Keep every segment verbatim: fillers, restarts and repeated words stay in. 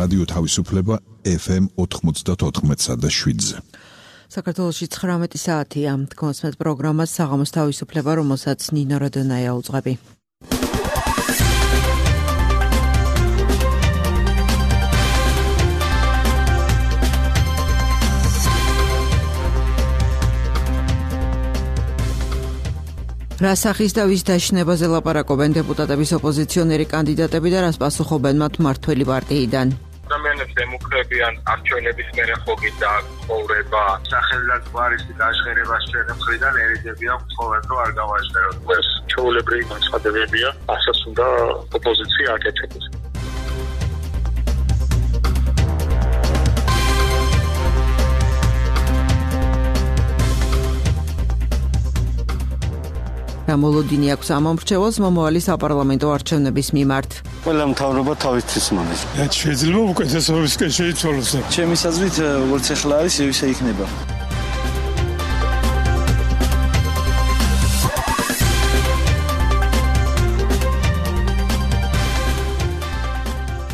რადიო თავისუფლება ეფ ემ ოთხმოცდაოთხ და შვიდზე. საქართველოში ცხრამეტი საათია. გონსმეთ პროგრამას საღამოს თავისუფლება, რომელსაც ნინო როდონაია უძღვები. რა სახის და ვის დაშინებაზე ლაპარაკობენ დეპუტატების ოპოზიციონერი კანდიდატები და რას პასუხობენ მათ მმართველი პარტიიდან? ადამიანებს ემუქრებიან არჩევნების მერე ხოგი და ცხოვრება სახელმწიფოს გვარის დაშღერებას ჩვენი მხრიდან ერიდებიან ყოველ დრო არ გავაჟღეროთ. ეს ჩვეულებრივი განცხადებებია, ასაც უნდა ოპოზიცია აკეთებს. მოლოდინი აქვს ამ მომრჩეველს მომავალი საპარლამენტო არჩევნების მიმართ. ყველა მთავრობა თავისთვის მოდის. რაც შეიძლება უკეთესობისკენ შეიცვალოს. ჩემი აზრით, როგორც ახლა არის, ისე იქნება.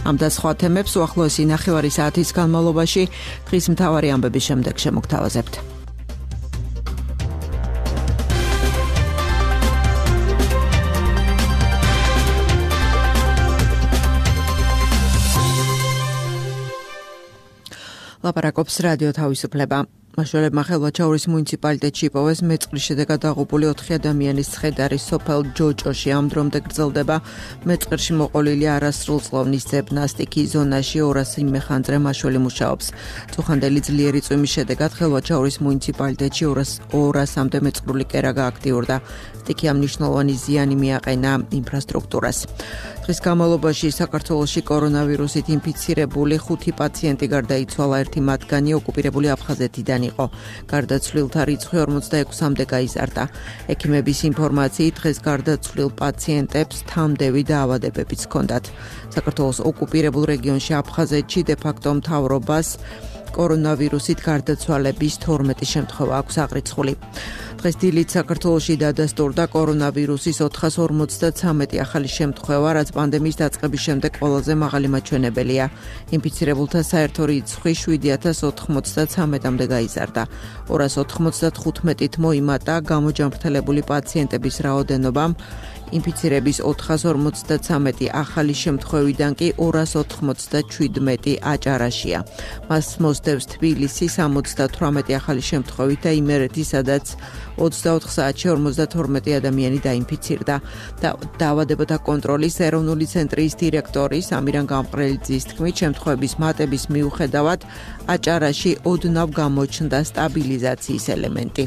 ამ და სხვა თემებს უახლოესი ნახევარი საათის განმავლობაში დღის მთავარი ამბების შემდეგ შემოგთავაზებთ. ლაპარაკობს რადიო თავისუფლება. მაშველებმა ხელვაჩაურის მუნიციპალიტეტში იპოვეს მეწყრის შედეგად დაღუპული ოთხი ადამიანის ცხედარი სოფელ ჯოჭოში. ამ დრომდე გრძელდება მეწყერში მოყოლილი არასრულწლოვნის ძებნასტიკის ზონაში ორასი მეხანძრე მაშველი მუშაობს. წუხანდელი ძლიერი წვიმის შედეგად ხელვაჩაურის მუნიციპალიტეტში ორასამდე მეწყრული კერა გააქტიურდა. სტიქი ამ მნიშვნელოვანი ზიანი მიაყენა ინფრასტრუქტურას. დღის განმავლობაში საქართველოში კორონავირუსით ინფიცირებული ხუთი პაციენტი გარდაიცვალა, ერთი მათგანი ოკუპირებული აფხაზეთიდან იყო. გარდაცვლილთა რიცხვი ორმოცდაექვსამდე გაიზარდა. ექიმების ინფორმაციით დღეს გარდაცვლილ პაციენტებს თამდევი დაავადებებიც ჰქონდათ. საქართველოს ოკუპირებულ რეგიონში აფხაზეთში დე-ფაქტო მთავრობას კორონავირუსით გარდაცვალების თორმეტი შემთხვევა აქვს აღრიცხული. დღეს დილით საქართველოში დადასტურდა კორონავირუსის ოთხას ორმოცდაცამეტი ახალი შემთხვევა, რაც პანდემიის დაწყების შემდეგ ყველაზე მაღალი მაჩვენებელია. ინფიცირებულთა საერთო რიცხვი შვიდი ათას ოთხმოცდაცამეტამდე გაიზარდა. ორას ოთხმოცდათხუთმეტით მოიმატა გამოჯანმრთელებული პაციენტების რაოდენობამ. ინფიცირების ოთხას ორმოცდაცამეტი ახალი შემთხვევიდან კი ორას ოთხმოცდაჩვიდმეტი აჭარაშია. მას მოსდევს თბილისი სამოცდათვრამეტი ახალი შემთხვევით და იმერეთი, სადაც ოცდაოთხ საათში ორმოცდათორმეტი ადამიანი დაინფიცირდა. დაავადებათა კონტროლის ეროვნული ცენტრის დირექტორის ამირან გამყრელიძის თქმით, შემთხვევების მატების მიუხედავად აჭარაში ოდნავ გამოჩნდა სტაბილიზაციის ელემენტი.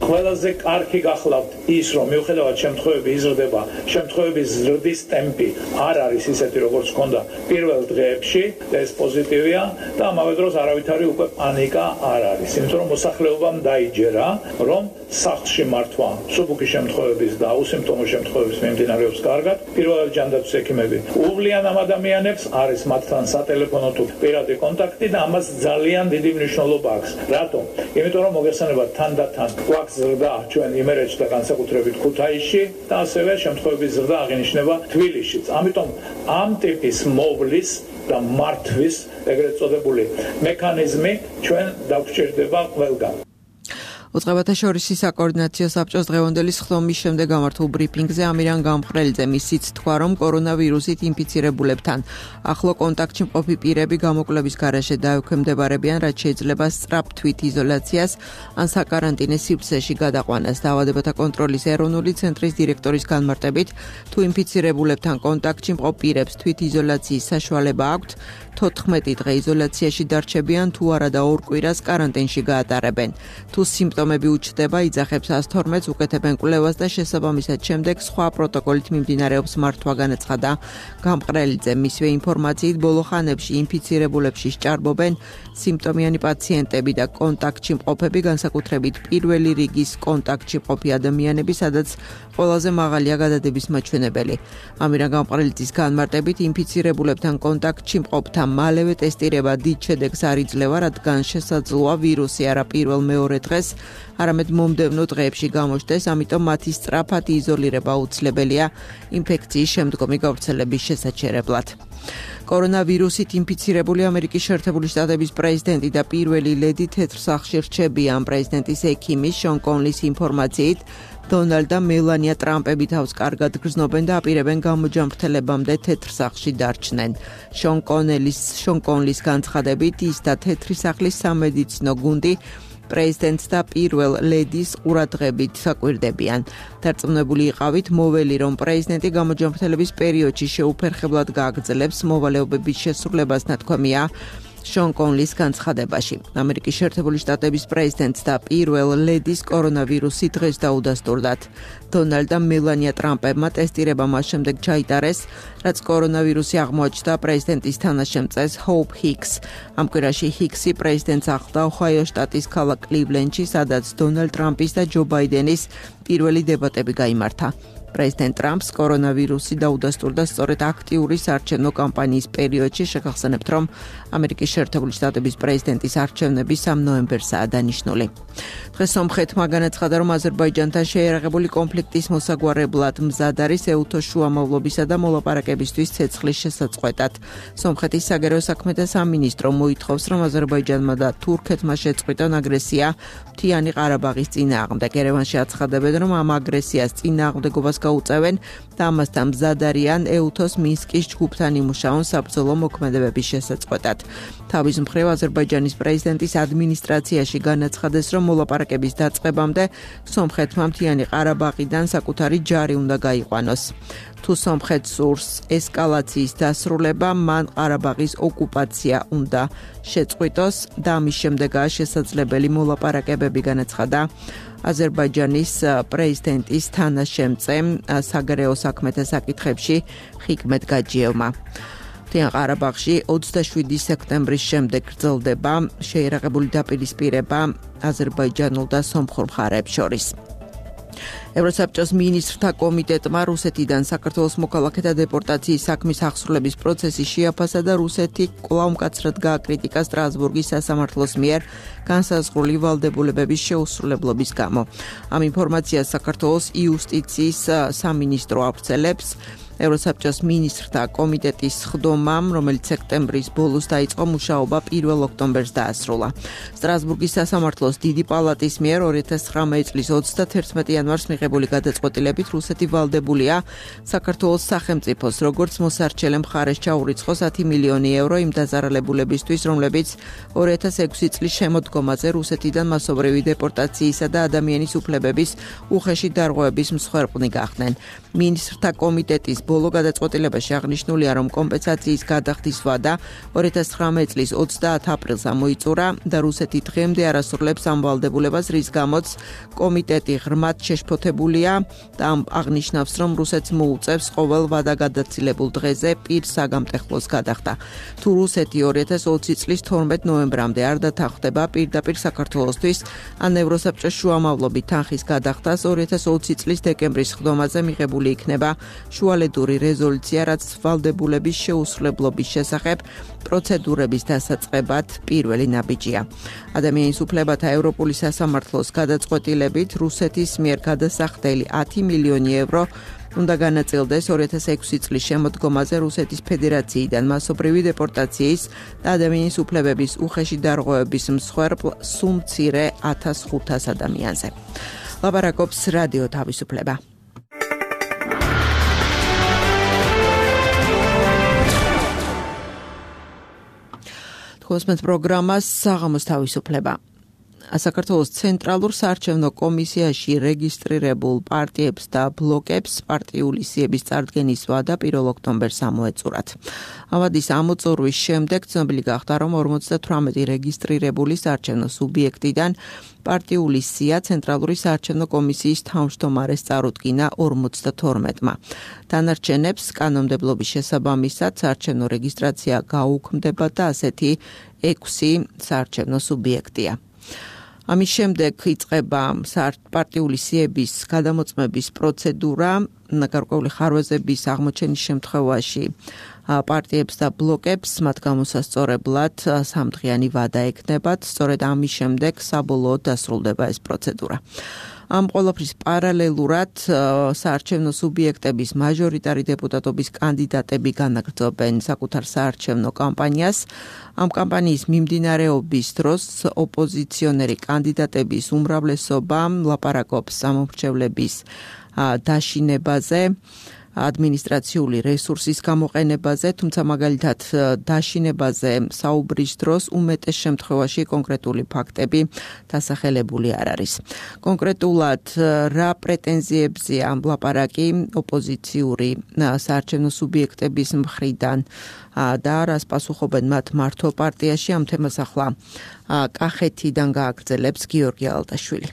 ყველაზე კარგი გახლავთ ის, რომ მიუხედავად შემთხვევების იზრდება, შემთხვევების ზრდის ტემპი არ არის ისეთი, როგორც ჰქონდა პირველ დღეებში, ეს პოზიტივია და ამავე დროს არავითარი უკვე პანიკა არ არის. იმიტომ რომ მოსახლეობამ დაიჯერა, რომ სახლში მართვა მსუბუქი შემთხვევების და უსიმპტომო შემთხვევების მიმდინარეობს კარგად. პირველად ჯანდაცვის ექიმები უვლიან ამ ადამიანებს, არის მათთან სატელეფონო თუ პირადი კონტაქტი და ამას ძალიან დიდი მნიშვნელობა აქვს. რატომ? იმიტომ რომ მოგესალმებათ თანდათან ზრდა ჩვენ იმერეთში და განსაკუთრებით ქუთაისში და ასევე შემთხვევების ზრდა აღინიშნება თბილისშიც. ამიტომ ამ ტიპის მოვლის და მართვის ეგრეთ წოდებული მექანიზმი ჩვენ დაგვჭირდება ყველგან. უწყებათა შორისი საკოორდინაციო საბჭოს დღევანდელი სხდომის შემდეგ გამართულ ბრიფინგზე ამირან გამყრელიძემ ისიც თქვა, რომ კორონავირუსით ინფიცირებულებთან ახლო კონტაქტში მყოფი პირები გამოკვლევის გარეშე დაექვემდებარებიან, რაც შეიძლება სწრაფ თვითიზოლაციას ან საკარანტინე სივრცეში გადაყვანას. დაავადებათა კონტროლის ეროვნული ცენტრის დირექტორის განმარტებით, თუ ინფიცირებულებთან კონტაქტში მყოფ პირებს თვითიზოლაციის საშუალება აქვთ, თოთხმეტი დღე იზოლაციაში დარჩებიან, თუ არა და ორ კვირას კარანტინში გაატარებენ. თუ სიმპტომები უჩნდება, იძახებს ას თორმეტს, უკეთებენ კვლევას და შესაბამისად შემდეგ სხვა პროტოკოლით მიმდინარეობს მართვა, განაცხადა გამყრელიძე. მისვე ინფორმაციით ბოლო ხანებში ინფიცირებულებში სჭარბობენ სიმპტომიანი პაციენტები და კონტაქტში მყოფები, განსაკუთრებით პირველი რიგის კონტაქტში მყოფი ადამიანები, სადაც ყველაზე მაღალია გადადების მაჩვენებელი. ამირან გამყრელიძის განმარტებით, ინფიცირებულებთან კონტაქტში მყოფთა მალევე ტესტირება დიდ შედეგს არ იძლევა, რადგან შესაძლოა ვირუსი არა პირველ მეორე დღეს არამედ მომდევნო დღეებში გამოჩნდეს, ამიტომ მათი სწრაფად იზოლირება აუცილებელია ინფექციის შემდგომი გავრცელების შესაჩერებლად. კორონავირუსით ინფიცირებული ამერიკის შეერთებული შტატების პრეზიდენტი და პირველი ლედი თეთრ სახლში რჩებიან. პრეზიდენტის ექიმის შონ კონლის ინფორმაციით, დონალდ და მელანია ტრამპები თავს კარგად გრძნობენ და აპირებენ გამოჯანმრთელებამდე თეთრ სახლში დარჩნენ. შონ კონელის შონ კონლის განცხადებით, ის და თეთრი სახლის სამედიცინო გუნდი პრეზიდენტს და პირველ ლედის ყურადღებით საკვირდებიან. დარწმუნებული იყავით მოველი, რომ პრეზიდენტი გამოჯანმრთელების პერიოდში შეუფერხებლად გააგრძელებს მოვალეობების შესრულებას, ნათქვამია შონ კონლის განცხადებაში. ამერიკის შეერთებული შტატების პრეზიდენტს და პირველ ლედის კორონავირუსი დღეს დაუდასტურდათ. დონალდ და მელანია ტრამპებმა ტესტირება მას შემდეგ ჩაიტარეს, რაც კორონავირუსი აღმოაჩნდა პრეზიდენტის თანაშემწეს ჰოუპ ჰიქს. ამ კვირაში ჰიქსი პრეზიდენტს ახლდა ოჰაიოს შტატის ქალაქ კლივლენდში, სადაც დონალდ ტრამპის და ჯო ბაიდენის პირველი დებატები გაიმართა. პრეზიდენტ ტრამპს კორონავირუსი დაუდასტურდა სწორედ აქტიური საარჩევნო კამპანიის პერიოდში. შეგახსენებთ, რომ ამერიკის შეერთებული შტატების პრეზიდენტის არჩევნები სამ ნოემბერსაა დანიშნული. დღეს სომხეთმა განაცხადა, რომ აზერბაიჯანთან შეიარაღებული კონფლიქტის მოსაგვარებლად მზად არის ეუთოს შუამავლობისა და მოლაპარაკებისთვის ცეცხლის შესაწყვეტად. სომხეთის საგარეო საქმეთა სამინისტრო მოითხოვს, რომ აზერბაიჯანმა და თურქეთმა შეწყვიტონ აგრესია მთიანი ყარაბაღის წინააღმდეგ. ერევანში აცხადებენ, რომ ამ აგრესიას წინააღმდეგობას გაუწევენ და ამასთან მზად არიან ეუთოს მინსკის ჯგუფთან იმუშაონ საბრძოლო მოქმედებების შესაწყვეტად. თავის მხრივ აზერბაიჯანის პრეზიდენტის ადმინისტრაციაში განაცხადეს, რომ მოლაპარაკების დაწყებამდე სომხეთმა მთიანი ყარაბაღიდან საკუთარი ჯარი უნდა გაიყვანოს. თუ სომხეთს სურს ესკალაციის დასრულება, მან ყარაბაღის ოკუპაცია უნდა შეწყვიტოს და ამის შემდეგაა შესაძლებელი მოლაპარაკებები, განაცხადა აზერბაიჯანის პრეზიდენტის თანაშემწე საგარეო საქმეთა საკითხებში ხიკმეთ გაჯიევმა. მთიან ყარაბაღში ოცდაშვიდი სექტემბრის შემდეგ გრძელდება შეიარაღებული დაპირისპირება აზერბაიჯანულ და სომხურ მხარეებს შორის. ევროსაბჭოს მინისტრთა კომიტეტმა რუსეთიდან საქართველოს მოქალაქეთა დეპორტაციის საქმის აღსრულების პროცესი შეაფასა და რუსეთი კვლავ მკაცრად გააკრიტიკა სტრასბურგის სასამართლოს მიერ განსაზღვრული ვალდებულებების შეუსრულებლობის გამო. ამ ინფორმაციას საქართველოს იუსტიციის სამინისტრო ავრცელებს. ევროსაბჭოს მინისტრთა კომიტეტის სხდომამ, რომელიც სექტემბრის ბოლოს დაიწყო, მუშაობა პირველ ოქტომბერს დაასრულა. სტრასბურგის სასამართლოს დიდი პალატის მიერ ორი ათას ცხრამეტი წლის ოცდათერთმეტი იანვარს მიღებული გადაწყვეტილებით რუსეთი ვალდებულია საქართველოს სახელმწიფოს როგორც მოსარჩელე მხარეს ჩაურიცხოს ათი მილიონი ევრო იმ დაზარალებულებისთვის, რომლებიც ორი ათას ექვსი წლის შემოდგომაზე რუსეთიდან მასობრივი დეპორტაციისა და ადამიანის უფლებების უხეში დარღვევების მსხვერპლი გახდნენ. მინისტრთა კომიტეტის ბოლო გადაწყვეტილებაში აღნიშნულია, რომ კომპენსაციის გადახდის ვადა ორი ათას ცხრამეტი წლის ოცდაათ აპრილს ამოიწურა და რუსეთი დღემდე არ ასრულებს ამ ვალდებულებას, რის გამოც კომიტეტი ღრმად შეშფოთებულია და აღნიშნავს, რომ რუსეთს მოუწევს ყოველ ვადაგადაცილებულ დღეზე პირს საგამტეხლოს გადახდა. თუ რუსეთი ორი ათას ოცი წლის თორმეტ ნოემბრამდე არ დათანხმდება პირდაპირ საქართველოსთვის ან ევროსაბჭოს შუამავლობით თანხის გადახდას, ორი ათას ოცი წლის დეკემბრის სხდომაზე მიღებული იქნება შუალედური რეზოლუცია, რაც ვალდებულების შეუსრულებლობის შესახებ პროცედურების დასაწყებად პირველი ნაბიჯია. ადამიანის უფლებათა ევროპული სასამართლოს გადაწყვეტილებით რუსეთის მიერ გადასახდელი ათი მილიონი ევრო უნდა განაწილდეს ორი ათას ექვსი წლის შემოდგომაზე რუსეთის ფედერაციიდან მასობრივი დეპორტაციის და ადამიანის უფლებების უხეში დარღვევების მსხვერპლ სულ მცირე ათას ხუთას ადამიანზე. ლაპარაკობს რადიო თავისუფლება. კოსმეთ პროგრამას საღამოს თავისუფლება. საქართველოს ცენტრალურ საარჩევნო კომისიაში რეგისტრირებულ პარტიებს და ბლოკებს პარტიული სიების წარდგენის ვადა პირველ ოქტომბერს ამოეწურათ. ავადის ამოწურვის შემდეგ ცნობილი გახდა, რომ ორმოცდათვრამეტი რეგისტრირებული საარჩევნო სუბიექტიდან პარტიული სია ცენტრალური საარჩევნო კომისიის თავმჯდომარეს წარუდგინა ორმოცდათორმეტმა. დანარჩენებს კანონმდებლობის შესაბამისად საარჩევნო რეგისტრაცია გაუქმდება და ასეთი ექვსი საარჩევნო სუბიექტია. ამის შემდეგ იწყება პარტიული სიების გადამოწმების პროცედურა, გარკვეული ხარვეზების აღმოჩენის შემთხვევაში პარტიებს და ბლოკებს მათ გამოსასწორებლად სამდღიანი ვადა ექნებათ, სწორედ ამის შემდეგ საბოლოოდ დასრულდება ეს პროცედურა. ამ ყველაფრის პარალელურად საარჩევნო სუბიექტების მაჟორიტარი დეპუტატობის კანდიდატები განაგრძობენ საკუთარ საარჩევნო კამპანიას. ამ კამპანიის მიმდინარეობის დროს ოპოზიციონერი კანდიდატების უმრავლესობა ლაპარაკობს სამომრჩევლების დაშინებაზე, ადმინისტრაციული რესურსის გამოყენებაზე, თუმცა მაგალითად დაშინებაზე საუბრის დროს უმეტეს შემთხვევაში კონკრეტული ფაქტები დასახელებული არ არის. კონკრეტულად რა პრეტენზიებზეა ლაპარაკი ოპოზიციური საარჩევნო სუბიექტების მხრიდან და რას პასუხობენ მათ მართლ პარტიაში, ამ თემას ახლა კახეთიდან გააგრძელებს გიორგი ალტაშვილი.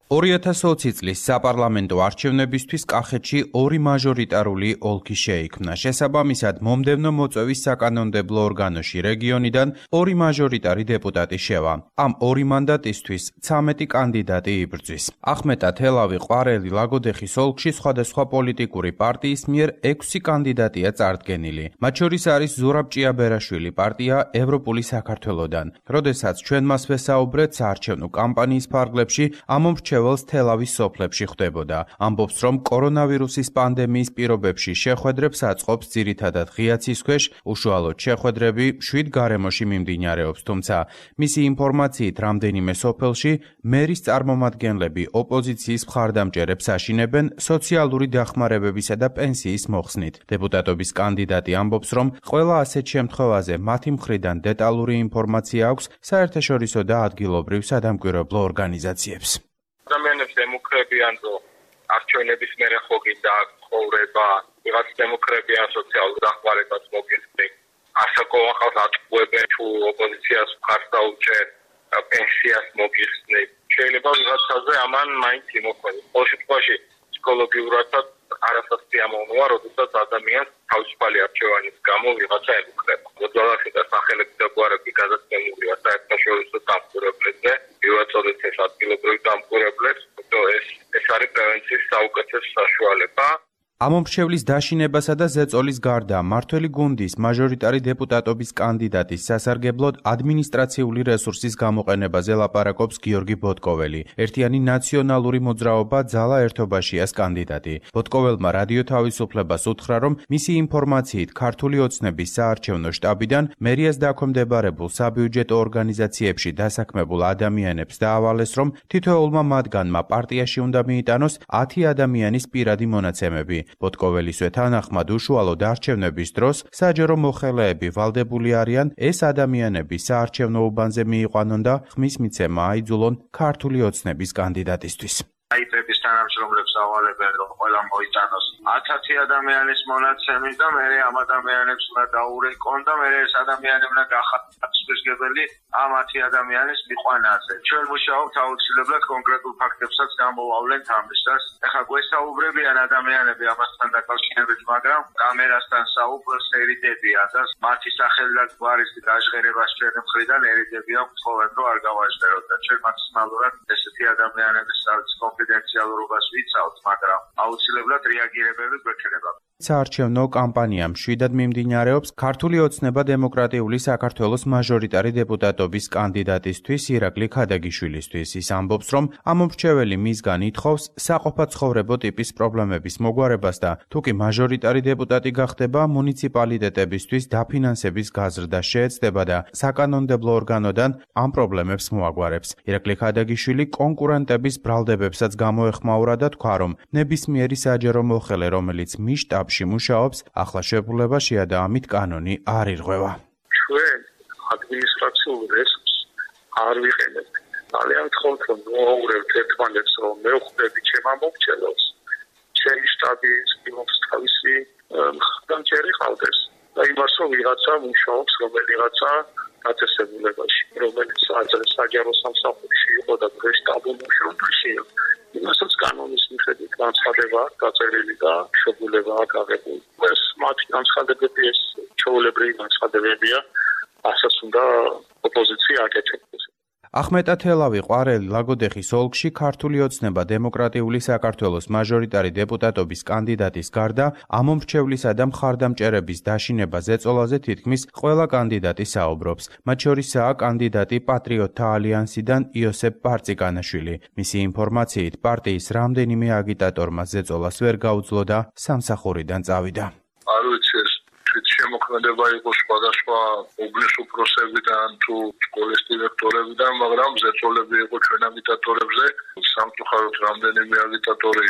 ორი ათას ოცი წლის საპარლამენტო არჩევნებისთვის კახეთში ორი მაჟორიტარული ოლქი შეიქმნა. შესაბამისად, მომდევნო მოწვევის საკანონმდებლო ორგანოში რეგიონიდან ორი მაჟორიტარი დეპუტატი შევა. ამ ორი მანდატისთვის ცამეტი კანდიდატი იბრძვის. ახმეტა, თელავი, ყვარელი, ლაგოდეხის ოლქში სხვადასხვა პოლიტიკური პარტიის მიერ ექვსი კანდიდატია წარდგენილი. მათ შორის არის ზურაბ ჭიაბერაშვილი პარტია ევროპული საქართველოდან. როდესაც ჩვენ მას ვესაუბრეთ საარჩევნო კამპანიის ფარგლებში, ამომრჩეველი თელავის სოფლებში ხდებოდა. ამბობს, რომ კორონავირუსის პანდემიის პირობებში შეხვედრებს აწყობს ძირითადად ღიაცის ქვეშ, უშუალოდ შეხვედრები შვიდ გარემოში მიმდინარეობს, თუმცა მისი ინფორმაციით რამდენიმე სოფელში მერის წარმომადგენლები ოპოზიციის მხარდამჭერებს აშინებენ სოციალური დახმარებებისა და პენსიის მოხსნით. დეპუტატობის კანდიდატი ამბობს, რომ ყველა ასეთ შემთხვევაზე მათი მხრიდან დეტალური ინფორმაცია აქვს საერთაშორისო და ადგილობრივ სადამკვირვებლო ორგანიზაციებს. ადამიანებს ემუქრებიან, რომ არჩევნების მერე ხო გინდა ცხოვრება, ვიღაც ემუქრებიან სოციალურ დახმარებას მოგიხსნით, ასაკოვან ხალხს ატყუებენ, თუ ოპოზიციას მხარს დაუჭერ, პენსიას მოგიხსნით. შეიძლება ვიღაცაზე ამან მაინც იმოქმედოს. ყოველ შემთხვევაში ფსიქოლოგიურადაც არასასიამოვნოა, როდესაც ადამიანს თავისუფალი არჩევანის გამო ვიღაცა ემუქრება. მოძალახი და სახელები და გვარები გადაცემულია საერთაშორისო დამკვირვებლებზე, ვივაწოდეთ ეს ადგილობრივ დამკვირვებლებს, ეს ეს არის პრევენციის საუკეთესო საშუალება. ამომრჩევლის დაშინებასა და ზეწოლის გარდა მმართველი გუნდის მაჟორიტარი დეპუტატობის კანდიდატის სასარგებლოდ ადმინისტრაციული რესურსის გამოყენებაზე ლაპარაკობს გიორგი ბოტკოველი. ერთიანი ნაციონალური მოძრაობა ძალა ერთობაშიას კანდიდატი. ბოტკოველმა რადიო თავისუფლებას უთხრა, რომ მისი ინფორმაციით ქართული ოცნების საარჩევნო შტაბიდან მერიას დაქვემდებარებულ საბიუჯეტო ორგანიზაციებში დასაქმებულ ადამიანებს დაავალეს, რომ თითოეულმა მათგანმა პარტიაში უნდა მიიტანოს ათი ადამიანის პირადი მონაცემები. ბოტკოველისვე თანახმად უშუალოდ არჩევნების დროს საჯარო მოხელეები ვალდებული არიან ეს ადამიანები საარჩევნო უბანზე მიიყვანონ და ხმის მიცემა აიძულონ ქართული ოცნების კანდიდატისთვის. აიპების თანამშრომლებს ავალებენ, რომ ყველა მოიტანოს ათი ადამიანის მონაცემი და მე ამ ადამიანებს უნდა დაურეკონ და მე ეს ადამიანები უნდა გახადისგებელი ამ ათი ადამიანის მიყვანაზე. ჩვენ მუშაობთ აუცილებლად კონკრეტულ ფაქტებსაც გამოვავლენთ ამისას. ეხლა გვესაუბრებიან ადამიანები ამასთან დაკავშირებით, მაგრამ კამერასთან საუბრს ერიდებიან და მათი სახელი და გვარის გაჟღერებას ჩვენ მხრიდან ერიდებიან, თხოვენ რომ არ გავაჟღეროთ და ჩვენ მაქსიმალურად ესეთი ადამიანების კონფიდენციალურობას ვიცავთ, მაგრამ აუცილებლად რეაგირებები გვექნება. საარჩევნო კამპანია მშვიდად მიმდინარეობს ქართული ოცნება დემოკრატიული საქართველოს მაჟორიტარი დეპუტატობის კანდიდატისთვის ირაკლი ქადაგიშვილისთვის. ის ამბობს, რომ ამომრჩეველი მისგან ითხოვს საყოფაცხოვრებო ტიპის პრობლემების მოგვარებას და თუკი მაჟორიტარი დეპუტატი გახდება, მუნიციპალიტეტებისთვის დაფინანსების გაზრდა შეეცდება და საკანონმდებლო ორგანოდან ამ პრობლემებს მოაგვარებს. ირაკლი ქადაგიშვილი კონკურენტების ბრალდებებსაც გამოეხმაურა და თქვა, რომ ნებისმიერი საჯარო მოხელე, რომელიც მის შტაბში მუშაობს, ახლა შეფულებაშია და ამით კანონი არ ირღვევა. ჩვენ ადმინისტრაციულ რესურსს არ ვიყენებთ. ძალიან გთხოვთ, რომ მოაუღრებთ ერთმანეთს, რომ მე ვხვდები ჩემ ამომრჩეველს, ჩემი შტაბი იმობს თავისი მხარდამჭერი ყავდეს და იმას, რომ ვიღაცა მუშაობს რომელიღაცა დაწესებულებაში, რომელიც საჯარო სამსახურში იყო და შტაბო მუშაობაში იყო. იმასაც კანონის მიხედვით განცხადება დაწერილი და შეფულება აღებული. ეს მათი განცხადებები, ეს ჩვეულებრივი განცხადებებია, ასაც უნდა ოპოზიცია აკეთებს. ახმეტა თელავი ყვარელი ლაგოდეხის ოლქში ქართული ოცნება დემოკრატიული საქართველოს მაჟორიტარი დეპუტატობის კანდიდატის გარდა ამომრჩევლისა და მხარდამჭერების დაშინება ზეწოლაზე თითქმის ყველა კანდიდატი საუბრობს. მათ შორისაა კანდიდატი პატრიოტთა ალიანსიდან იოსებ ბარწიკანაშვილი. მისი ინფორმაციით პარტიის რამდენიმე აგიტატორმა ზეწოლას ვერ გაუძლო და სამსახურიდან წავიდა. არ ვიცი ეს შემოქმედება იყო სხვადასხვა უბნის უფროსებიდან თუ სკოლის დირექტორებიდან, მაგრამ ზეწოლები იყო ჩვენ აგიტატორებზე. სამწუხაროდ რამდენიმე აგიტატორი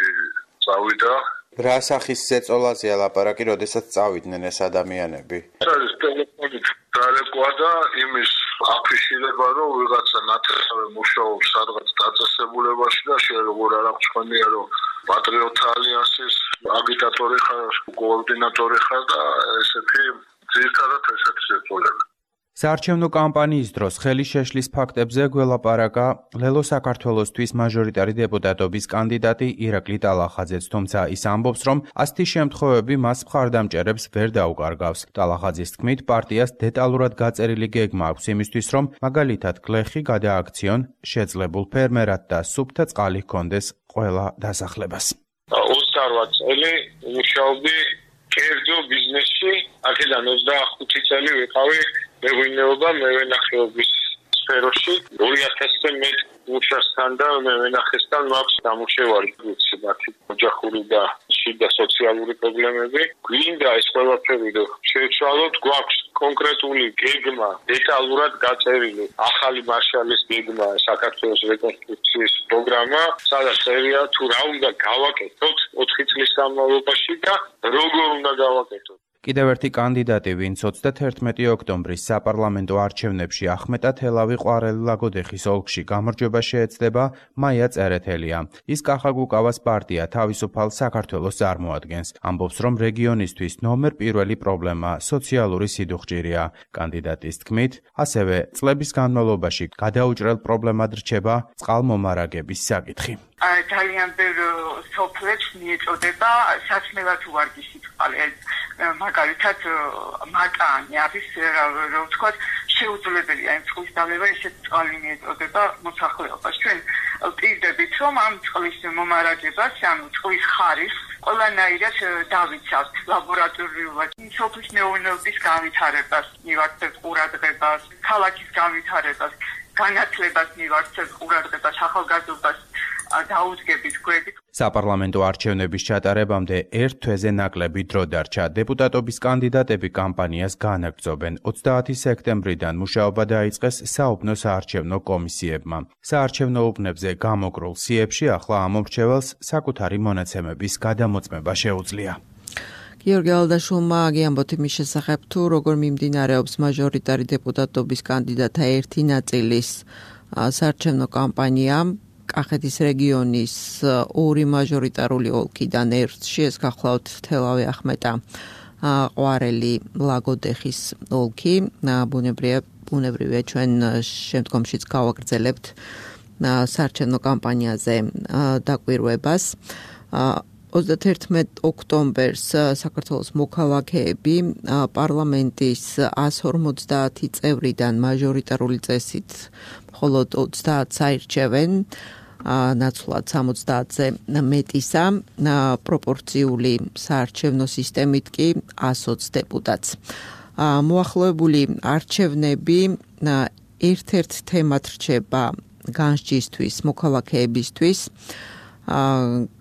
წავიდა. რა სახის ზეწოლაზეა ლაპარაკი, როდესაც წავიდნენ ეს ადამიანები? ეს ტელეფონით დარეკვა და იმის აფიშირება, რომ ვიღაცა ნათესავე მუშაობს სადღაც დაწესებულებაში და შენ როგორ არ აქვს ხმია, რომ პატრიოტთა ალიანსის აგიტატორი ხარ, კოორდინატორი ხარ და ესეთი ძირითადად ესეთი ზეწოლები. საარჩევნო კამპანიის დროს ხელი შეშლის ფაქტებზე გველაპარაკა ლელო საქართველოსთვის მაჟორიტარი დეპუტატობის კანდიდატი ირაკლი ტალახაძეც, თუმცა ის ამბობს, რომ ასეთი შემთხვევები მას მხარდამჭერებს ვერ დაუკარგავს. ტალახაძის თქმით, პარტიას დეტალურად გაწერილი გეგმა აქვს იმისთვის, რომ მაგალითად გლეხი გადააქციონ შეძლებულ ფერმერად და სუფთა წყალი ჰქონდეს ყველა დასახლებას. ოცდაორ წელი მუშაობდი კერძო ბიზნესში, აქედან ოცდახუთი წელი ვიყავი მეღვინეობა, მევენახეობის სფეროში. ორი ათასზე მეტ მუშასთან და მევენახესთან მაქვს დამუშევარი, ვიცი, მათი ოჯახური და შიდა სოციალური პრობლემები. გვინდა ეს ყველაფერი რომ შევცვალოთ, გვაქვს კონკრეტული გეგმა, დეტალურად გაწერილი ახალი მარშალის გეგმა, საქართველოს რეკონსტრუქციის პროგრამა, სადაც წერია თუ რა უნდა გავაკეთოთ ოთხი წლის განმავლობაში და როგორ უნდა გავაკეთოთ. კიდევ ერთი კანდიდატი, ვინც ოცდათერთმეტი ოქტომბრის საპარლამენტო არჩევნებში ახმეტა თელავი ყვარელი ლაგოდეხის ოლქში გამარჯვება შეეცდება, მაია წერეთელია. ის კახაგუკავას პარტია თავისუფალ საქართველოს წარმოადგენს. ამბობს, რომ რეგიონისთვის ნომერ პირველი პრობლემა სოციალური სიდუხჭირია. კანდიდატის თქმით, ასევე წლების განმავლობაში გადაუჭრელ პრობლემად რჩება წყალმომარაგების საკითხი. ძალიან ბევრ სოფლებს მიეწოდება საცნელად უვარგისი წყალი. მაგალითად მატანი არის, რომ ვთქვათ, შეუძლებელია იმ წყლის დალევა, ისეთ წყალი მიეწოდება მოსახლეობას. ჩვენ ვპირდებით, რომ ამ წყლის მომარაგებას, ანუ წყლის ხარისხს ყველანაირად დავიცავთ ლაბორატორიულად. სოფლის მეურნეობის განვითარებას, მივაქცევთ ყურადღებას, ქალაქის განვითარებას, განათლებას მივაქცევთ ყურადღებას, ახალგაზრდობას დაუდგებით გვერდით. საპარლამენტო არჩევნების ჩატარებამდე ერთ თვეზე ნაკლები დრო დარჩა. დეპუტატობის კანდიდატები კამპანიას განაგრძობენ. ოცდაათი სექტემბრიდან მუშაობა დაიწყეს საუბნო საარჩევნო კომისიებმა. საარჩევნო უბნებზე გამოკრულ სიებში ახლა ამომრჩეველს საკუთარი მონაცემების გადამოწმება შეუძლია. გიორგი ალდაშულმა აგიამბოთ იმის შესახებ, თუ როგორ მიმდინარეობს მაჟორიტარი დეპუტატობის კანდიდატთა ერთი ნაწილის საარჩევნო კამპანია. კახეთის რეგიონის ორი მაჟორიტარული ოლქიდან ერთში, ეს გახლავთ თელავი ახმეტა ყვარელი ლაგოდეხის ოლქი. ბუნებრივია, ბუნებრივია ჩვენ შემდგომშიც გავაგრძელებთ საარჩევნო კამპანიაზე დაკვირვებას. ოცდათერთმეტ ოქტომბერს საქართველოს მოქალაქეები პარლამენტის ასი ორმოცდაათი წევრიდან მაჟორიტარული წესით მხოლოდ ოცდაათს აირჩევენ, ნაცვლად სამოცდაათზე მეტისა, პროპორციული საარჩევნო სისტემით კი ასი ოცი დეპუტატს. მოახლოებული არჩევნები ერთ-ერთ თემად რჩება განსჯისთვის, მოქალაქეებისთვის,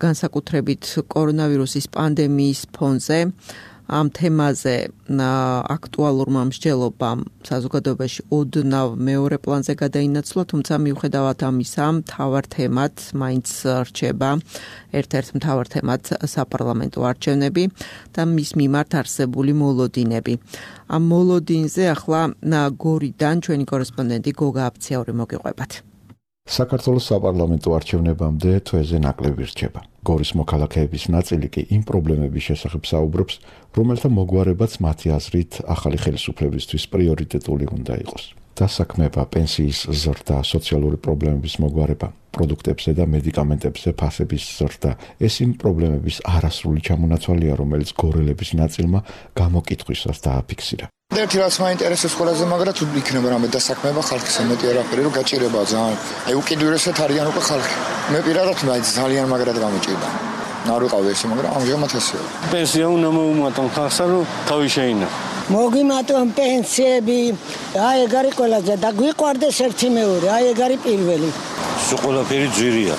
განსაკუთრებით კორონავირუსის პანდემიის ფონზე. ამ თემაზე აქტუალურმა მსჯელობამ საზოგადოებაში ოდნავ მეორე პლანზე გადაინაცვლა, თუმცა მიუხედავად ამისა, მთავარ თემად მაინც რჩება ერთ-ერთ მთავარ თემად საპარლამენტო არჩევნები და მის მიმართ არსებული მოლოდინები. ამ მოლოდინზე ახლა გორიდან ჩვენი კორესპონდენტი გოგა აფციაური მოგიყვებათ. საქართველოს საპარლამენტო არჩევნებამდე თვეზე ნაკლები რჩება. გორის მოქალაქეების ნაწილი კი იმ პრობლემების შესახებ საუბრობს, რომელთა მოგვარებაც მათი აზრით ახალი ხელისუფლებისთვის პრიორიტეტული უნდა იყოს. დასაქმება, პენსიის ზრდა, სოციალური პრობლემების მოგვარება, პროდუქტებზე და მედიკამენტებზე ფასების ზრდა. ეს იმ პრობლემების არასრული ჩამონაცვალია, რომელიც გორელების ნაწილმა გამოკითხვისას დააფიქსირა. ერთი რაც მაინტერესებს ყველაზე, მაგრამ თუ იქნება რამე დასაქმება ხალხის მეტი არაფერი, რომ გაჭირება ძალიან. აი უკიდურესად არიან უკვე ხალხი. მე პირადად მაინც ძალიან მაგრად გამიჭირდა. არ ვიყავი ესე, მაგრამ ამჟამად ესეა. პენსია უნდა მოუმატონ ხალხსა, რომ თავი შეინა. მოგიმატონ პენსიები, აი ეგ არის ყველაზე და გვიყვარდეს ერთი მეორე, აი ეგ არის პირველი. სულ ყველაფერი ძვირია.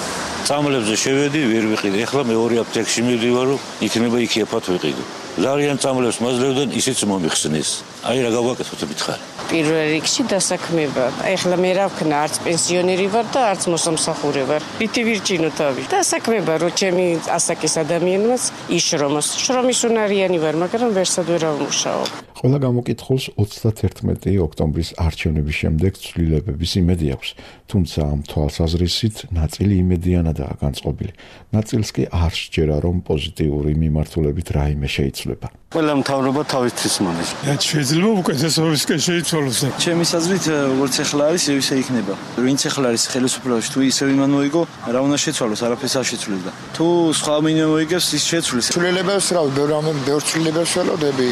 წამლებზე შევედი, ვერ ვიყიდე. ეხლა მეორე აპტეკში მივდივარ, რომ იქნება იქ ეფათ ვიყიდე. ძალიან წამლებს მაძლევდნენ, ისიც მომიხსნეს. აი რა გავაკეთოთ მითხარი. პირველ რიგში დასაქმება. ეხლა მე რა ვქნა, არც პენსიონერი ვარ და არც მოსამსახურე ვარ. პიტი ვირჩინო თავი. დასაქმება, რომ ჩემი ასაკის ადამიანებს იშრომოს. შრომის უნარიანი ვარ, მაგრამ ვერსად ვერ ავმუშაო. ყველა გამოკითხულს ოცდათერთმეტი ოქტომბრის არჩევნების შემდეგ ცვლილებების იმედი აქვს, თუმცა ამ თვალსაზრისით ნაწილი იმედიანადაა განწყობილი. ნაწილს კი არ სჯერა, რომ პოზიტიური მიმართულებით რაიმე შეიცვლება. ყველა მთავრობა თავისთვის მონის. შეიძლება უკეთესობისკენ შეიცვალოს. ჩემი აზრით, როგორც ახლა არის, ისე იქნება. ვინც ახლა არის ხელისუფლებაში, თუ ისევ იმან მოიგო, რა უნდა შეცვალოს, არაფერს არ შეცვლიდა. თუ სხვა მინე მოიგებს, ის შეცვლის. ცვლილებებს რა, ბევრ ბევრ ცვლილებებს ველოდები.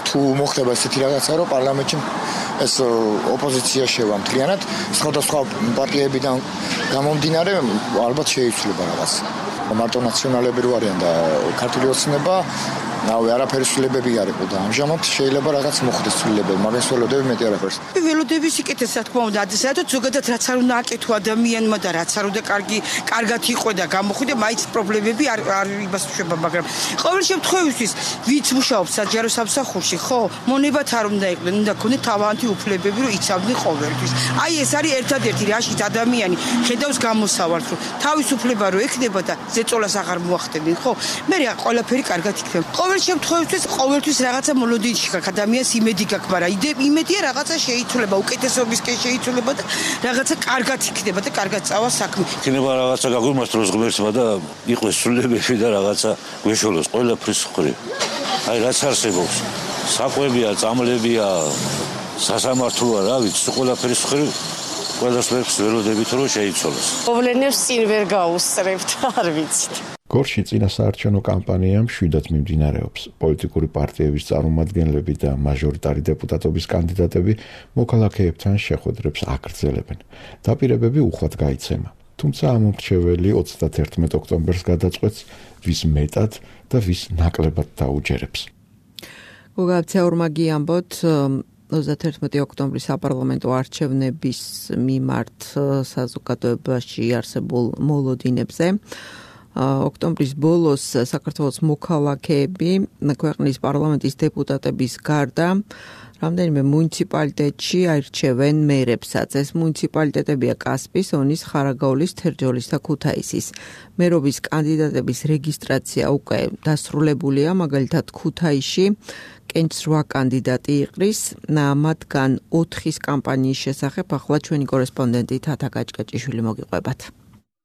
თუ მოხდება ესეთი რაღაცა, რომ პარლამენტში ეს ოპოზიცია შევა მთლიანად, სხვადასხვა პარტიებიდან გამომდინარე, ალბათ შეიცვლება რაღაც. მარტო ნაციონალები რო არიან და ქართული ოცნება ნავე არაფერი ცვლილებები არ იყო და ამჟამად შეიძლება რაღაც მოხდეს ცვლილებები, მაგას ველოდები მეტი არაფერს. ველოდები სიკეთეს, რა თქმა უნდა, საერთოდ ზოგადად რაც არ უნდა აკეთო ადამიანმა და რაც არ უნდა კარგი, კარგად იყო და გამოხვიდა, მაინც პრობლემები არ არ იბასუება, მაგრამ ყოველ შემთხვევაში ვინც მუშაობს საჯარო სამსახურში, ხო, მონებათ არ უნდა იყვნენ, უნდა ქონდეთ თავიანთი უფლებები, რომ იცავდნენ ყოველთვის. აი ეს არის ერთადერთი რაშიც ადამიანი ხედავს გამოსავალს, რომ თავისუფლება რო ექნება და ზეწოლას აღარ მოახდენენ, ხო? მე რა ყველაფერი კარგად იქნება. ყოველ შემთხვევაში ყოველთვის რაღაცა მოლოდინში გაქვს ადამიანს იმედი გაქვს, მაგრამ იმედია რაღაცა შეიცვლება, უკეთესობისკენ შეიცვლება და რაღაცა კარგად იქნება და კარგად წავა საქმე. იქნება რაღაცა გაგვიმართლოს ღმერთმა და იყოს სრულებები და რაღაცა გვეშოლოს ყველაფრის მხრივ. აი რაც არსებობს. საკვებია, წამლებია, სასამართლოა, რა ვიცი, ყველაფრის მხრივ ყველასფერს ველოდებით რომ შეიცვალოს. პრობლემებს წინ ვერ გაუსწრებთ, არ ვიცით. გორში წინასაარჩევნო კამპანია მშვიდად მიმდინარეობს. პოლიტიკური პარტიების წარმომადგენლები და მაჟორიტარი დეპუტატობის კანდიდატები მოქალაქეებთან შეხვედრებს აგრძელებენ. დაპირებები უხვად გაიცემა. თუმცა ამომრჩეველი ოცდათერთმეტ ოქტომბერს გადაწყვეტს, ვის მეტად და ვის ნაკლებად დაუჯერებს. გოგაბცია ორმაგი ამბოთ ოცდათერთმეტი ოქტომბრის საპარლამენტო არჩევნების მიმართ საზოგადოებაში არსებულ მოლოდინებზე. ოქტომბრის ბოლოს საქართველოს მოქალაქეები ქვეყნის პარლამენტის დეპუტატების გარდა რამდენიმე მუნიციპალიტეტში აირჩევენ მერებსაც. ეს მუნიციპალიტეტებია კასპის, ონის, ხარაგაულის, თერჯოლის და ქუთაისის. მერობის კანდიდატების რეგისტრაცია უკვე დასრულებულია, მაგალითად ქუთაისში კენჭს რვა კანდიდატი იყრის, მათგან ოთხის კამპანიის შესახებ ახლა ჩვენი კორესპონდენტი თათა გაჭკაჭიშვილი მოგიყვებათ.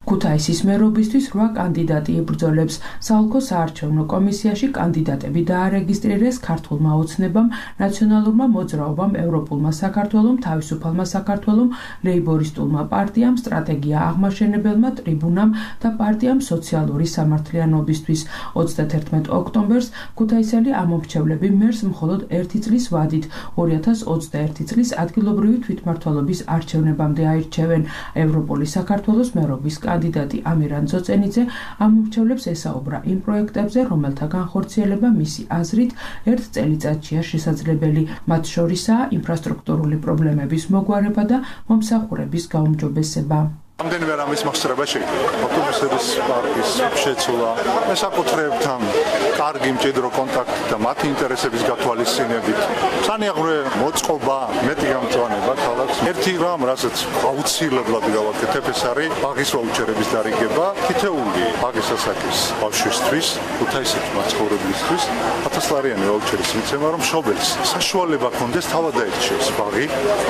ქუთაისის მერობისთვის რვა კანდიდატი იბრძოლებს. საოლქო საარჩევნო კომისიაში კანდიდატები დაარეგისტრირეს ქართულმა ოცნებამ, ნაციონალურმა მოძრაობამ, ევროპულმა საქართველომ, თავისუფალმა საქართველომ, ლეიბორისტულმა პარტიამ, სტრატეგია აღმაშენებელმა ტრიბუნამ და პარტიამ სოციალური სამართლიანობისთვის. ოცდათერთმეტ ოქტომბერს ქუთაისელი ამომრჩევლები მერს მხოლოდ ერთი წლის ვადით ორი ათას ოცდაერთი წლის ადგილობრივი თვითმმართველობის არჩევნებამდე აირჩევენ. ევროპული საქართველოს მერობის კანდიდატი ამირან ძოწენიძე ამომრჩევლებს ესაუბრა იმ პროექტებზე, რომელთა განხორციელება მისი აზრით ერთ წელიწადშია შესაძლებელი. მათ შორისაა ინფრასტრუქტურული პრობლემების მოგვარება და მომსახურების გაუმჯობესება. რამდენიმე რამის მოხსრება შეიძლება. ავტობუსების პარკის შეცვლა, მესაკუთრეებთან კარგი მჭიდრო კონტაქტი და მათი ინტერესების გათვალისწინებით. სანიაღვრე მოწყობა, მეტი გამწვანება ქალაქს. ერთი რამ, რასაც აუცილებლად გავაკეთებ, ეს არის ბაღის ვაუჩერების დარიგება. თითეული ბაღის ასაკის ბავშვისთვის, ქუთაისის მაცხოვრებლისთვის ათასლარიანი ვაუჩერის მიცემა, რომ მშობელს საშუალება ჰქონდეს თავად დაერჩიოს ბაღი,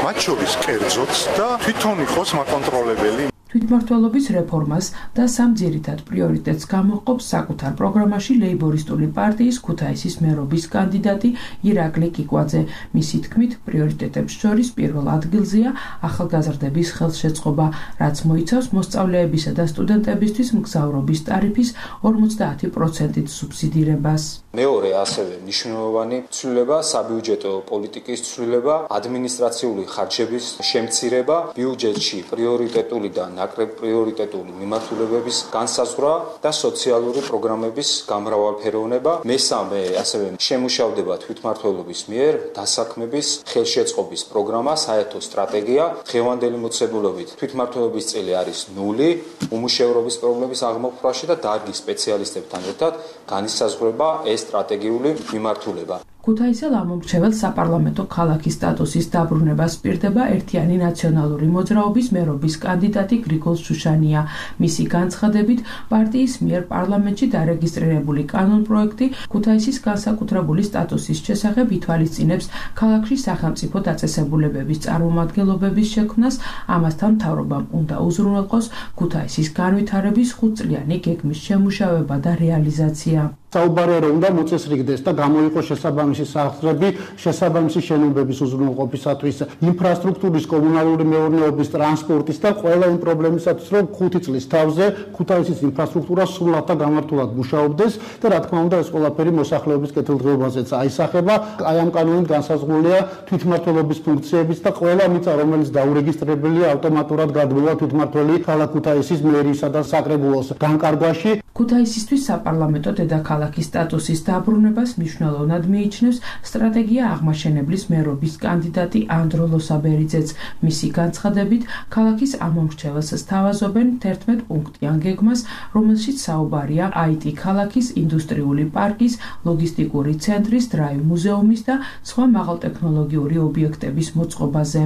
მათ შორის კერძოც და თვითონ იყოს მაკონტროლებელი. თვითმმართველობის რეფორმას და სამ ძირითად პრიორიტეტს გამოჰყოფს საკუთარ პროგრამაში ლეიბორისტული პარტიის ქუთაისის მერობის კანდიდატი ირაკლი კიკვაძე. მისი თქმით, პრიორიტეტებს შორის პირველ ადგილზეა ახალგაზრდების ხელშეწყობა, რაც მოიცავს მოსწავლეებისა და სტუდენტებისთვის მგზავრობის ტარიფის ორმოცდაათი პროცენტით სუბსიდირებას. მეორე ასევე მნიშვნელოვანი ცვლილება საბიუჯეტო პოლიტიკის ცვლილება, ადმინისტრაციული ხარჯების შემცირება, ბიუჯეტში პრიორიტეტული და ნაკრებ პრიორიტეტული მიმართულებების განსაზღვრა და სოციალური პროგრამების გამრავალფეროვნება. მესამე ასევე შემუშავდება თვითმმართველობის მიერ დასაქმების ხელშეწყობის პროგრამა, საერთო სტრატეგია. დღევანდელი მოცემულობით თვითმმართველობის წილი არის ნული, უმუშევრობის პრობლემის აღმოფხვრაში და დარგის სპეციალისტებთან ერთად განისაზღვრება ეს სტრატეგიული მიმართულება. ქუთაისელ ამომრჩეველს საპარლამენტო ქალაქის სტატუსის დაბრუნებას პირდება ერთიანი ნაციონალური მოძრაობის მერობის კანდიდატი გრიგოლ შუშანია. მისი განცხადებით, პარტიის მიერ პარლამენტში დარეგისტრირებული კანონპროექტი ქუთაისის განსაკუთრებული სტატუსის შესახებ ითვალისწინებს ქალაქში სახელმწიფო დაწესებულებების წარმომადგენლობების შექმნას, ამასთან მთავრობამ უნდა უზრუნველყოს ქუთაისის განვითარების ხუთწლიანი გეგმის შემუშავება და რეალიზაცია. საუბარია რომ უნდა მოწესრიგდეს და გამოიყოს შესაბამისი სახსრები შესაბამისი შენობების უზრუნველყოფისათვის, ინფრასტრუქტურის, კომუნალური მეურნეობის, ტრანსპორტის და ყველა იმ პრობლემისათვის, რომ ხუთი წლის თავზე ქუთაისის ინფრასტრუქტურა სრულად და გამართულად მუშაობდეს და რა თქმა უნდა ეს ყველაფერი მოსახლეობის კეთილდღეობაზეც აისახება. აი ამ კანონით განსაზღვრულია თვითმმართველობის ფუნქციებიც და ყველა მიწა, რომელიც დაურეგისტრირებულია, ავტომატურად გადმოვა თვითმმართველი ქალაქ ქუთაისის მერიისა და საკრებულოს განკარგვაში. ქუთაისისთვის საპარლამენტო დედაქალაქის სტატუსის დაბრუნებას მნიშვნელოვნად მიიჩნევს სტრატეგია აღმაშენებლის მერობის კანდიდატი ანდრო ლოსაბერიძეც. მისი განცხადებით, ქალაქის ამომრჩეველს სთავაზობენ თერთმეტ პუნქტიან გეგმას, რომელშიც საუბარია აი ტი ქალაქის, ინდუსტრიული პარკის, ლოგისტიკური ცენტრის, დრაივ მუზეუმის და სხვა მაღალტექნოლოგიური ობიექტების მოწყობაზე.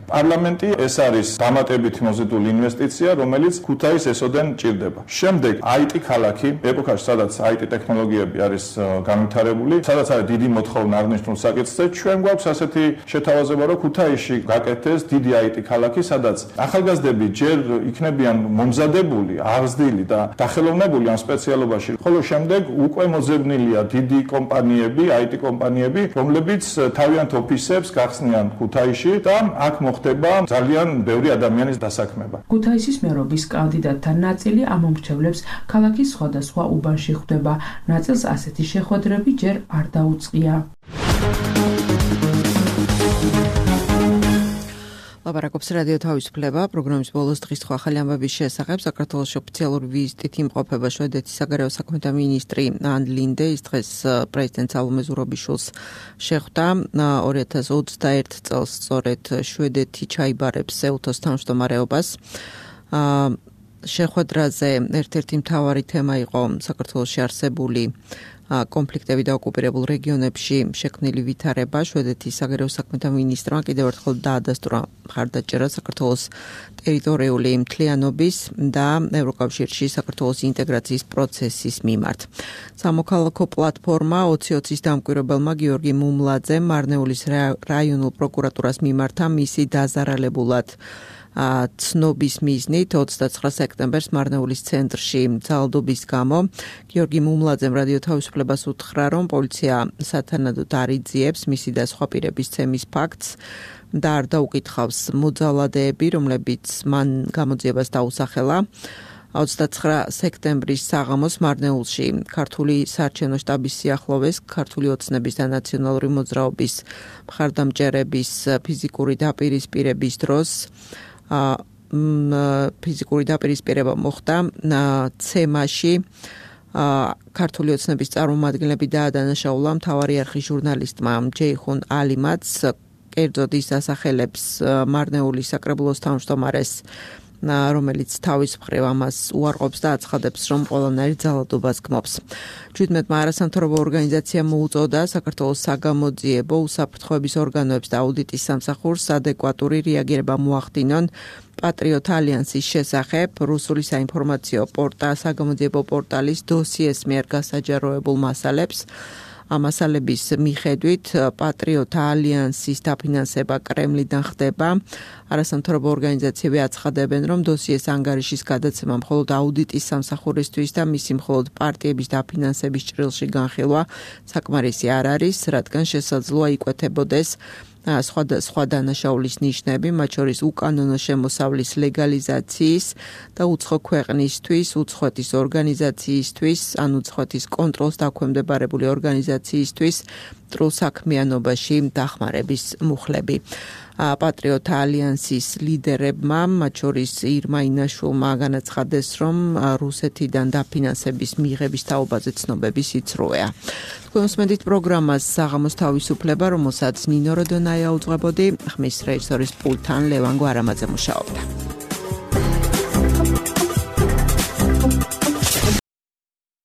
პარლამენტი ეს არის დამატებით მოზიდული ინვესტიცია, რომელიც ქუთაისს ესოდენ ჭირდება. შემდეგ აი ტი ქალაქი, ეპოქაში, სადაც აი ტი ტექნოლოგიები არის განვითარებული, სადაც არის დიდი მოთხოვნა აღნიშნულ საკითხზე, ჩვენ გვაქვს ასეთი შეთავაზება, რომ ქუთაისში გაკეთდეს დიდი აი ტი ქალაქი, სადაც ახალგაზრდები ჯერ იქნებიან მომზადებული, აღზრდილი და დახელოვნებული ამ სპეციალობაში, ხოლო შემდეგ უკვე მოძებნილია დიდი კომპანიები, აი ტი კომპანიები, რომლებიც თავიანთ ოფისებს გახსნიან ქუთაისში და აქ ხდება ძალიან ბევრი ადამიანის დასაქმება. ქუთაისის მერობის კანდიდატთა ნაწილი ამომრჩევლებს ქალაქის სხვადასხვა უბანში ხვდება. ნაწილს ასეთი შეხვედრები ჯერ არ დაუწყია. ლაპარაკობს რადიო თავისუფლება. პროგრამის ბოლოს დღის სხვა ახალი ამბების შესახებ საქართველოს ოფიციალური ვიზიტით იმყოფება შვედეთის საგარეო საქმეთა მინისტრი ან ლინდე. ის დღეს პრეზიდენტ სალომე ზურაბიშვილს შეხვდა. ორი ათას ოცდაერთ წელს სწორედ შვედეთი ჩაიბარებს ეუთოს თავმჯდომარეობას. შეხვედრაზე ერთ-ერთი მთავარი თემა იყო საქართველოში არსებული კონფლიქტები და ოკუპირებულ რეგიონებში შექმნილი ვითარება. შვედეთის საგარეო საქმეთა მინისტრმა კიდევ ერთხელ დაადასტურა მხარდაჭერა საქართველოს ტერიტორიული მთლიანობის და ევროკავშირში საქართველოს ინტეგრაციის პროცესის მიმართ. სამოქალაქო პლატფორმა ოცი ოცის დამკვირვებელმა გიორგი მუმლაძემ მარნეულის რაიონულ პროკურატურას მიმართა მისი დაზარალებულად ცნობის მიზნით ოცდაცხრა სექტემბერს მარნეულის ცენტრში ძალადობის გამო გიორგი მუმლაძემ რადიო თავისუფლებას უთხრა, რომ პოლიცია სათანადოდ არ იძიებს მისი და სხვა პირების ცემის ფაქტს და არ დაუკითხავს მოძალადეები, რომლებიც მან გამოძიებას დაუსახელა. ოცდაცხრა სექტემბრის საღამოს მარნეულში ქართული საარჩევნო შტაბის სიახლოვეს ქართული ოცნების და ნაციონალური მოძრაობის მხარდამჭერების ფიზიკური დაპირისპირების დროს ფიზიკური დაპირისპირება მოხდა ცემაში. ქართული ოცნების წარმომადგენლები დაადანაშაულა მთავარი არხის ჟურნალისტმა ჯეიხუნ ალიმაც, კერძოდ ის ასახელებს მარნეულის საკრებულოს თავმჯდომარეს, რომელიც თავის მხრივ ამას უარყოფს და აცხადებს, რომ ყველანაირ ძალადობას გმობს. ჩვიდმეტმა არასამთავრობო ორგანიზაციამ მოუწოდა საქართველოს საგამოძიებო უსაფრთხოების ორგანოებს და აუდიტის სამსახურს ადეკვატური რეაგირება მოახდინონ პატრიოტ ალიანსის შესახებ რუსული საინფორმაციო პორტალი საგამოძიებო პორტალის დოსიეს მიერ გასაჯაროებულ მასალებს. ამ მასალების მიხედვით პატრიოტთა ალიანსის დაფინანსება კრემლიდან ხდება. არასამთავრობო ორგანიზაციები აცხადებენ, რომ დოსიეს ანგარიშის გადაცემა მხოლოდ აუდიტის სამსახურისთვის და მისი მხოლოდ პარტიების დაფინანსების ჭრილში განხილვა საკმარისი არ არის, რადგან შესაძლოა იკვეთებოდეს სხვა სხვა დანაშაულის ნიშნები, მათ შორის უკანონო შემოსავლის ლეგალიზაციის და უცხო ქვეყნისთვის, უცხოეთის ორგანიზაციისთვის, ან უცხოეთის კონტროლს დაქვემდებარებული ორგანიზაციისთვის მტრულ საქმიანობაში დახმარების მუხლები. პატრიოტთა ალიანსის ლიდერებმა, მათ შორის ირმა ინაშვილმა განაცხადეს, რომ რუსეთიდან დაფინანსების მიღების თაობაზე ცნობები სიცრუეა. თქვენ უსმენთ პროგრამას საღამოს თავისუფლება, რომელსაც ნინო როდონაია უძღვებოდი, ხმის რეჟისორის პულტთან ლევან გვარამაძე მუშაობდა.